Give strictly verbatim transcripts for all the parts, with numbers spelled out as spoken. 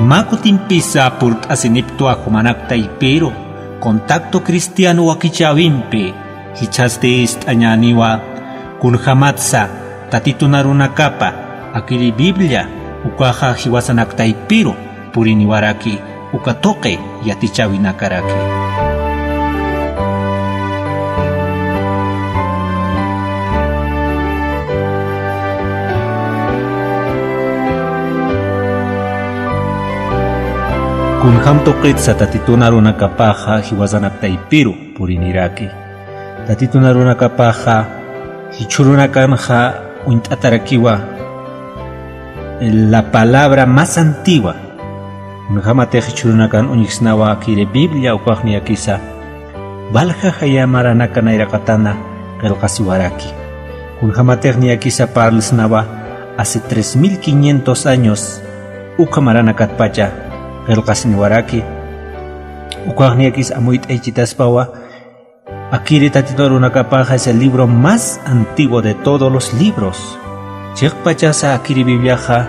Mä kutimpisa purt'asiniptwa jumanak taypiru, Contacto Cristiano wakichäwimpi, jichhasti ist'añäniwa, kunjamatsa Tatitun arunakapa akiri Biblia ukaxa jiwasanak taypiru puriniwaraki, uka tuqi yatichäwinakaraki. Kunjam tuqitsa Tatitun arunakapaxa jiwasanak taypiru puriniraki. Tatitun arunakapaxa jichhürunakanxa uñt'atarakiwa la palabra más antigua. Kunjamatix jichhürunakan uñjsnawa akiri Biblia ukax niyakisa walja jaya maranaka nayraqatana qillqasiwaraki. Kunjamatix niyakisa parlsnawa hace tres mil quinientos años ukha maranakatpacha qillqasiniwaraki. Ukax niyakis amuyt'aychitaspawa, akiri Tatitun arunakapaxa es el libro más antiguo de todos los libros. Chiqpachasa akiri Bibliaxa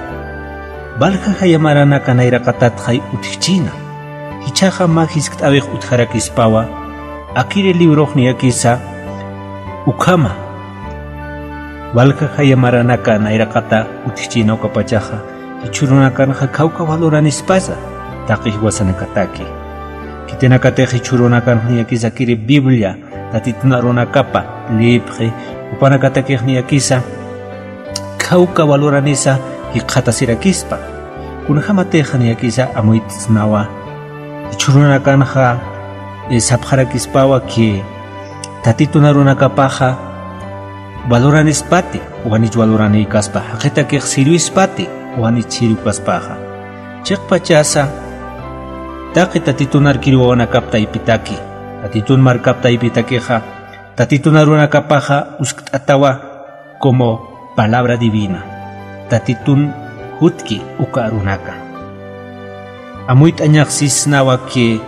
walja jaya maranaka nayraqatatxay utjchina. Jichhaxa mä jiskt'äwix utjarakispawa, akiri librox niyakisa ukhama walja jaya maranaka nayraqata utjchina ukapachaxa, jichhürunakanxa khawka valoranispasa taqi jiwasanakataki. Khitinakatix jichhürunakanx niyakisa akiri Biblia Tatitun arunakapa liyipxi, jupanakatakix niyakisa khawka valoranisa jikxatasirakispa. Kunjamatix niyakisa amuyt'snawa, jichhürunakanxa, eh, sapxarakispawa que Tatitun arunakapaxa valoranispati, wanich valoranïkaspa, jaqitakix sirvispati, wanich sirvikaspaxa. Chiqpachasa taqi Tatitun arkir wawanakap taypitaki, Tatitun markap taypitakixa, Tatitun arunakapaxa uskt'atawa como palabra divina. Tatitun jutki uka arunaka. Amuyt'añax sisnawa que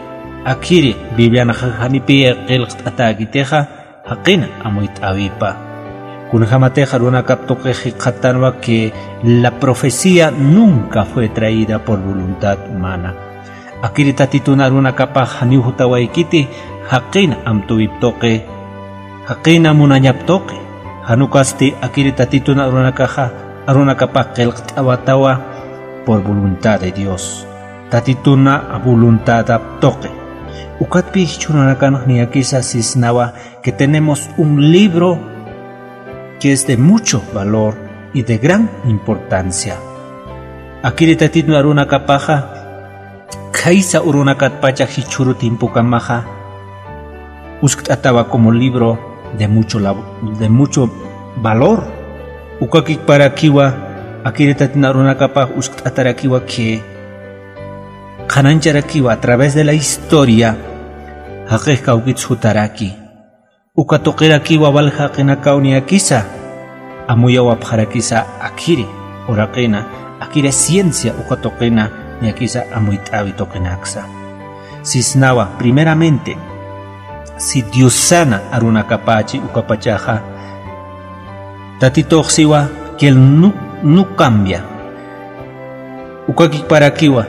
akiri Biblianxa janipi qillqt'atäkitixa, jaqin amuyt'äwipa. Kunjamatix arunakap tuqix jikxatanwa que la profecía nunca fue traída por voluntad humana. Akiri Tatitun arunakapax janiw jutawaykiti, jaqin amtäwip tuqi, jaqin munañap tuqi. Jan ukasti akiri Tatitun arunakaxa, arunakapax qillqt'awatawa por voluntad de Dios. Tatitun voluntadap tuqi. Ukatpï jichhürunakanx niyakisa sisnawa que tenemos un libro que es de mucho valor y de gran importancia. Akiri Tatitun arunakapaxa, khaysa urunakatpacha jichhüru tiempokamaxa uskt'atawa como libro de mucho la-, de mucho valor. Ukakiparakiwa, akiri Tatitun arunakapax uskt'atarakiwa que qhanañcharakiwa a través de la historia, jaqix kawkits jutaraki. Uka tuqirakiwa walja jaqinakaw niyakisa amuyawapxarakisa akiri uraqina, akiri ciencia uka tuqina niyakisa amuyt'äwi tuqinaksa. Sisnawa, primeramente, si Diosana arunakapachi ukapachaxa, Tatitux siwa que él no, no cambia. Ukakiparakiwa,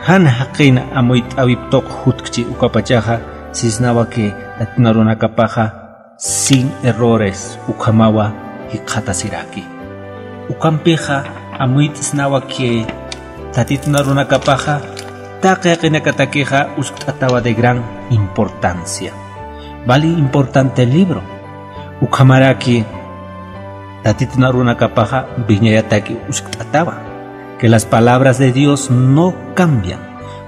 jan jaqin amuyt'äwip tuq jutkchi ukapachaxa, sisnawa que Tatitun arunakapaxa sin errores ukhamawa jikxatasiraki. Ukampixa amuyt'snawa que Tatitun arunakapaxa taqi jaqinakatakixa uskt'atawa de gran importancia. Vale importante libro. Ukhamaraki Tatitun arunakapaxa wiñayataki uskt'atawa, que las palabras de Dios no cambian.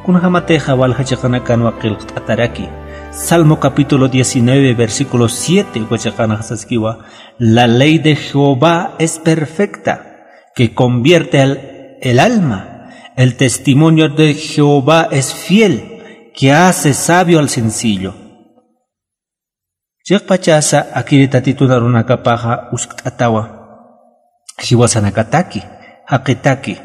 Kunjamatixa walja chiqanakanwa qillqt'ataraki. Salmo capítulo diecinueve, versículo siete, uka chiqanaxa saskiwa: "La ley de Jehová es perfecta, que convierte el, el alma. El testimonio de Jehová es fiel, que hace sabio al sencillo". Chiqpachasa akiri Tatitun arunakapaxa uskt'atawa jiwasanakataki, jaqitaki.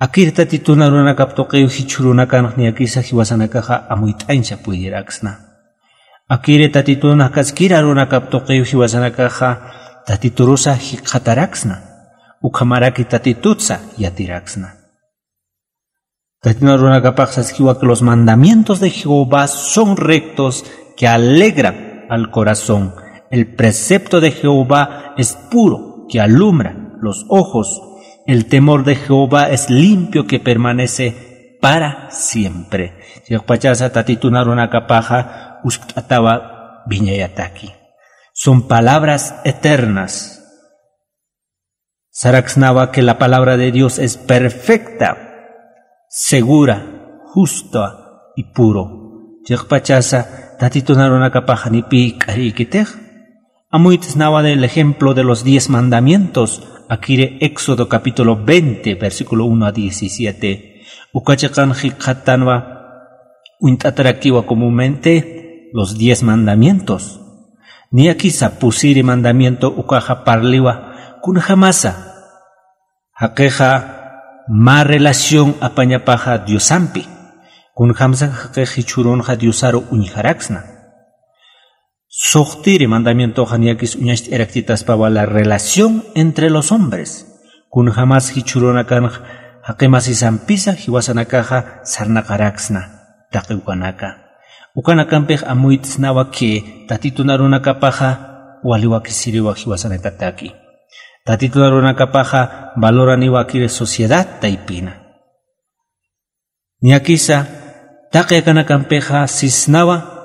Akiri Tatitun arunakap tuqiw jichhürunakanx niyakisa jiwasanakaxa amuyt'añsa puydiraksna. Akiri Tatitun jakaskir arunakap tuqiw jiwasanakaxa Tatiturusa jikxataraksna. Ukhamaraki Tatitutsa yatiraksna. Tatitun arunakapax saskiwa que los mandamientos de Jehová son rectos, que alegran al corazón. El precepto de Jehová es puro, que alumbra los ojos. El temor de Jehová es limpio, que permanece para siempre. Chiqpachasa tatitun arunakapaxa uskt'atawa wiñayataki. Son palabras eternas. Saraksnawa que la palabra de Dios es perfecta, segura, justa y puro. Chiqpachasa tatitun arunakapax janipï k'ariykitix. Amuyt'snawa del ejemplo de los diez mandamientos, akiri Éxodo capítulo veinte, versículo uno a diecisiete. Uka chiqan jikxatanwa uñt'atarakiwa comúnmente los diez mandamientos. Niyakisa pusiri mandamiento ukaxa parliwa kunjamasa jaqixa mä relación apañapaxa Diosampi. Kunjamasa jaqix jichhürunxa Diosaru uñjaraksna. Suxtiri mandamientoxa niyakis uñacht'ayarakchitaspawa la relación entre los hombres. Kunjamas jichhürunakanx jaqimasisampisa jiwasanakaxa sarnaqaraksna taqi ukanaka. Ukanakampix amuyt'snawa que tatitun arunakapaxa wali wakisiriwa jiwasanakataki. Tatitun arunakapaxa valoraniwa akiri sociedad taypina. Niyakisa taqi akanakampixa sisnawa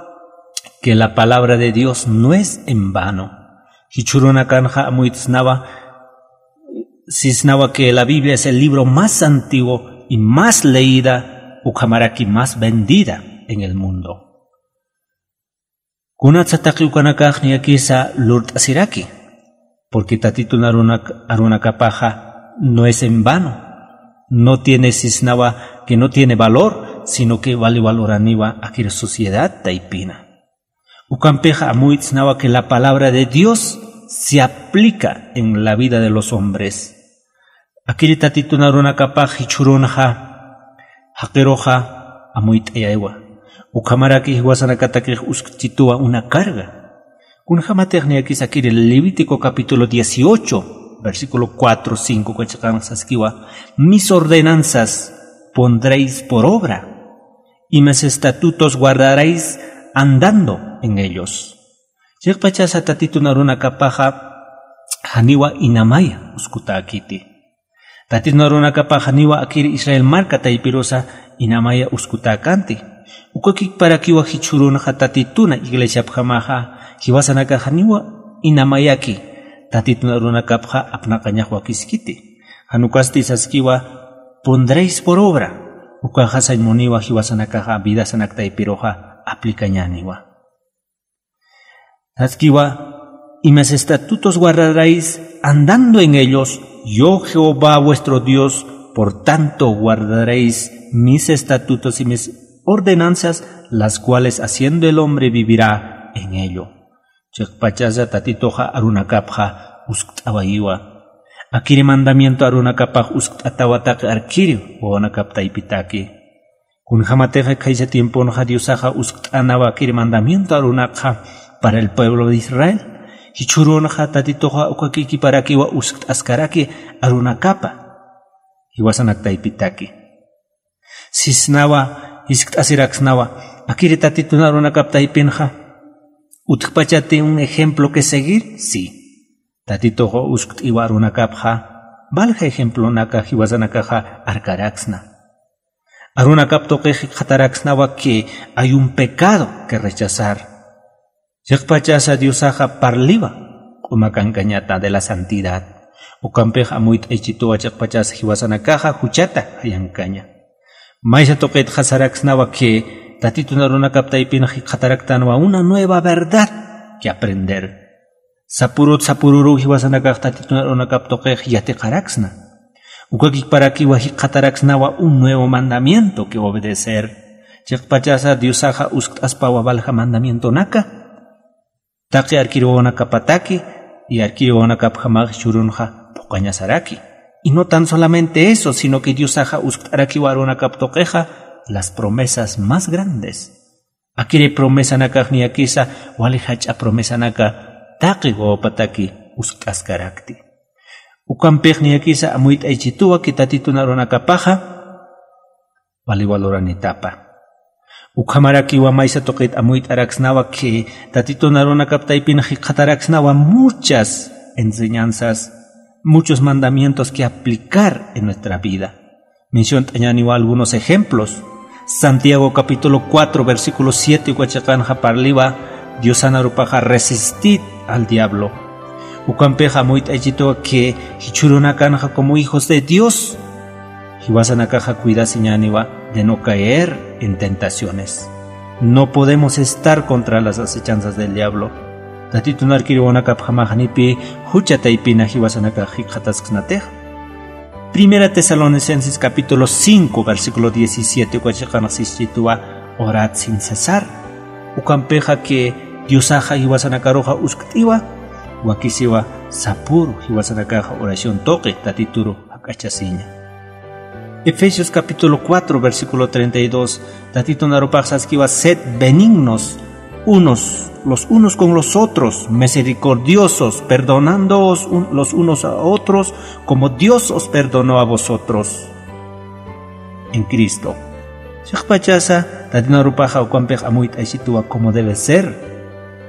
que la palabra de Dios no es en vano. Jichhürunakanxa amuyt'snawa sisnawa que la Biblia es el libro más antiguo y más leída, ukhamaraki más vendida en el mundo. Kunatsa taqi ukanakax niyakisa lurt'asiraki, porque tatitun arunak- arunakapaxa no es en vano, no tiene sisnawa que no tiene valor, sino que vali valoraniwa akir sociedad taypina. Ukampixa amuyt'snawa que la palabra de Dios se aplica en la vida de los hombres. Akiri tatitun arunakapax jichhürunxa jaqiruxa amuyt'ayaywa. Ukhamaraki jiwasanakatakix uskt'chituwa una carga. Kunjamatix niyakis akiri Levítico capítulo dieciocho, versículo cuatro, cinco uka chiqan saskiwa: mis ordenanzas pondréis por obra, y mis estatutos guardaréis andando en ellos. Chiqpachasa tatitun arunakapaxa janiwa inamaya uskutäkiti. Tatitun arunakapaxa janiwa akir Israel marka taypirusa inamaya uskutäkanti. Ukakiparakiwa jichhürunxa tatituna iglesiapjamaxa jiwasanakax janiwa inamayaki tatitun arunakapxa apnaqañax wakiskiti. Jan ukasti saskiwa: pondréis por obra. Ukaxa sañ muniwa jiwasanakaxa vidasanak taypiruxa aplikañäniwa. Saskiwa: y mis estatutos guardaréis andando en ellos, yo Jehová vuestro Dios, por tanto guardaréis mis estatutos y mis ordenanzas, las cuales haciendo el hombre vivirá en ello. Chiqpachasa tatituxa arunakapxa uskt'awayiwa. Akiri mandamiento arunakapax uskt'atawa taqi arkiri wawanakap taypitaki. Kunjamatix khaysa tiemponxa Diosaxa uskt'anawa akiri mandamiento arunakxa para el pueblo de Israel. Jichhürunxa tatituxa ukakikiparakiwa uskt'askaraki arunakapa jiwasanak taypitaki. Sisnawa, jiskt'asiraksnawa: akiri tatitun arunakap taypinxa utjpachati un ejemplo que seguir, sí. Tatituxa uskt'iwa arunakapxa valja ejemplonaka jiwasanakaxa arkaraksna. Arunakap tuqix jikxataraksnawa que hay un pecado que rechazar. Chiqpachasa Diosaxa parliwa q'uma kankañata de la santidad. Ukampix amuyt'aychituwa chiqpachasa jiwasanakaxa juchata jayankaña. Maysa tuqitxa saraksnawa que tatitun arunakap taypinxa jikxataraktanwa una nueva verdad que aprender. Sapurut sapururu jiwasanakax tatitun arunakap tuqix yatiqaraksna. Ukakiparakiwa jikxataraksnawa un nuevo mandamiento que obedecer. Chiqpachasa Diosaxa uskt'aspawa valja mandamientonaka taqi arkiri wawanakapataki, y arkiri wawanakapjamax jichhürunxa phuqañasaraki. Y no tan solamente eso, sino que Diosaxa uskt'arakiwa arunakap tuqixa las promesas más grandes. Akiri promesanakax niyakisa wali jach'a promesanaka taqi wawapataki uskt'askarakti. Ukampix niyakisa amuyt'aychituwa que tatitun arunakapaxa wali waluranitapa. Ukhamarakiwa maysa tuqit amuyt'araksnawa que Tatitun arunakap taypin jikxataraksnawa muchas enseñanzas, muchos mandamientos que aplicar en nuestra vida. Menciont'añäniwa algunos ejemplos. Santiago capítulo cuatro, versículo siete uka chiqanxa parliwa, Diosan arupaxa resistid al diablo. Ukampixa amuyt'aychituwa que jichhürunakanxa como hijos de Dios, jiwasanakaxa cuidasiñäniwa de no caer en tentaciones. No podemos estar contra las acechanzas del diablo. Tatitun arkiriwanakapjamax janipï jucha taypina jiwasanakax jikxatasksnatix. Primera Tesalonicenses capítulo cinco, versículo diecisiete uka chiqanxa sischituwa, orad sin cesar. Ukampixa que Diosaxa jiwasanakaruxa uskt'iwa, wakisiwa sapüru jiwasanakaxa oración tuqi Tatituru jak'achasiña. Efesios capítulo cuatro, versículo treinta y dos, Tatitun arupax saskiwa, sed benignos unos, los unos con los otros, misericordiosos, perdonándoos un-, los unos a otros, como Dios os perdonó a vosotros en Cristo. Chiqpachasa, Tatitun arupaxa ukampix amuyt'aychituwa como debe ser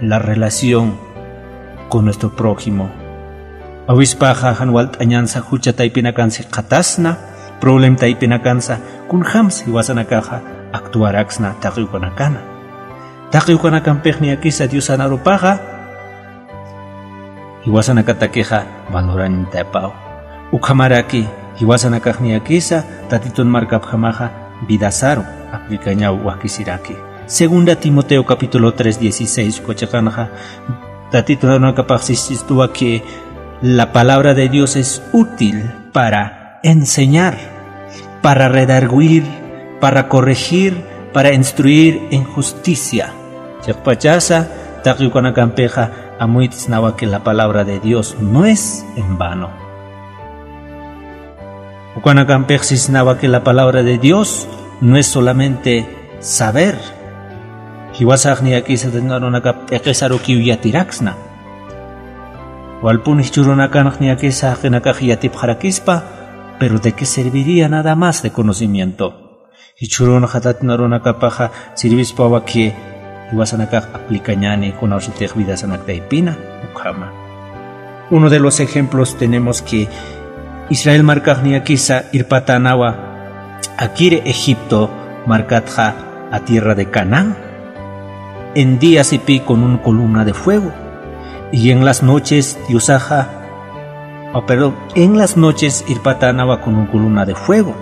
la relación con nuestro prójimo. Awispaxa jan walt'añansa jucha taypinakansa jikxatasna, problem taypinakansa kunjamsa jiwasanakaxa actuaraksna taqi ukanakana. Taqi ukanakampix niyakisa Diosan arupaxa jiwasanakatakixa valoranitapaw. Ukhamaraki jiwasanakax niyakisa Tatitun markapjamaxa vidasaru aplikañaw wakisiraki. Segunda Timoteo capítulo tres dieciséis uka chiqanxa Tatitun arunakapax sischituwa que la palabra de Dios es útil para enseñar, para redargüir, para corregir, para instruir en justicia. Chiqpachasa, taqi ukanakampixa amuyt'snawa que la palabra de Dios no es en vano. Ukanakampix sisnawa que la palabra de Dios no es solamente saber. Jiwasax niyakisa Tatitun arunakap p'iqisarukiw yatiraksna. Walpun jichhürunakanx niyakisa jaqinakax yatipxarakispa, pero ¿de qué serviría nada más de conocimiento? Jichhürunxa Tatitun arunakapaxa sirvispawa que jiwasanakax aplikañäni kunawsatix vidasanak taypina ukhama. Uno de los ejemplos tenemos que Israel markax niyakisa irpatänawa akiri Egipto markatxa a tierra de Canaán. En día sipï con un columna de fuego. Y en las noches Diosaxa, oh, perdón, en las noches irpatänawa con un columna de fuego.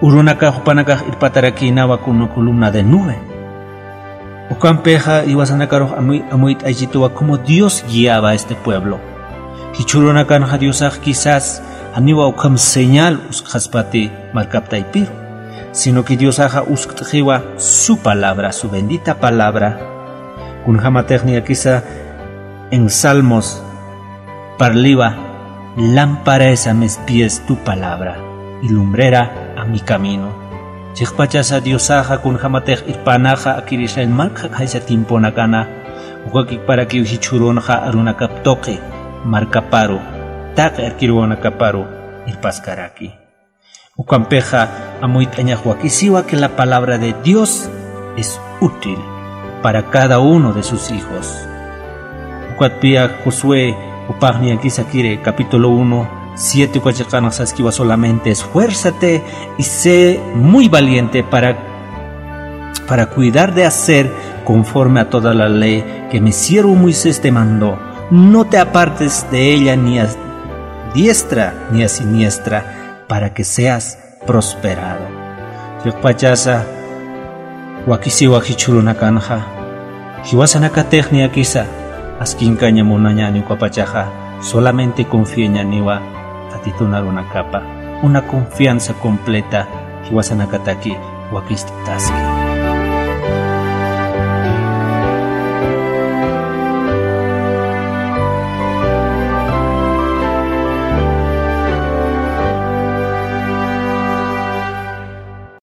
Urunakax jupanakax irpatarakïnawa con una columna de nube. Ukampixa jiwasanakarux amuy-, amuyt'aychituwa como Dios guiaba a este pueblo. Jichhürunakanxa Diosax quizás janiwa ukham señal uskxaspati markap taypiru, sino que Diosaxa uskt'xiwa su palabra, su bendita palabra. Kunjamatix niyakisa en Salmos parliwa, lámpara es a mis pies tu palabra, y lumbrera a mi camino. Chiqpachasa Diosaxa kunjamatix irpänaxa akir Israel marka jak'aysa tiemponakana, ukakiparakiw jichhürunxa arunakap tuqi markaparu, taqi arkirunakaparu irpaskaraki. Ukampixa amuyt'añax wakisiwa que la palabra de Dios es útil para cada uno de sus hijos. Ukatpï Josué jupax niyakisa kiri capítulo uno, siete uka chiqanxa saskiwa solamente esfuérzate y sé muy valiente para, para cuidar de hacer conforme a toda la ley que mi siervo Moisés te mandó. No te apartes de ella ni a diestra ni a siniestra, para que seas prosperado. Chiqpachasa wakisiwa jichhürunakanxa, jiwasanakatix niyakisa askinkaña munañäni ukapachaxa, solamente confiañäniwa Tatitun arunakapa, una confianza completa jiwasanakataki wakist'taski.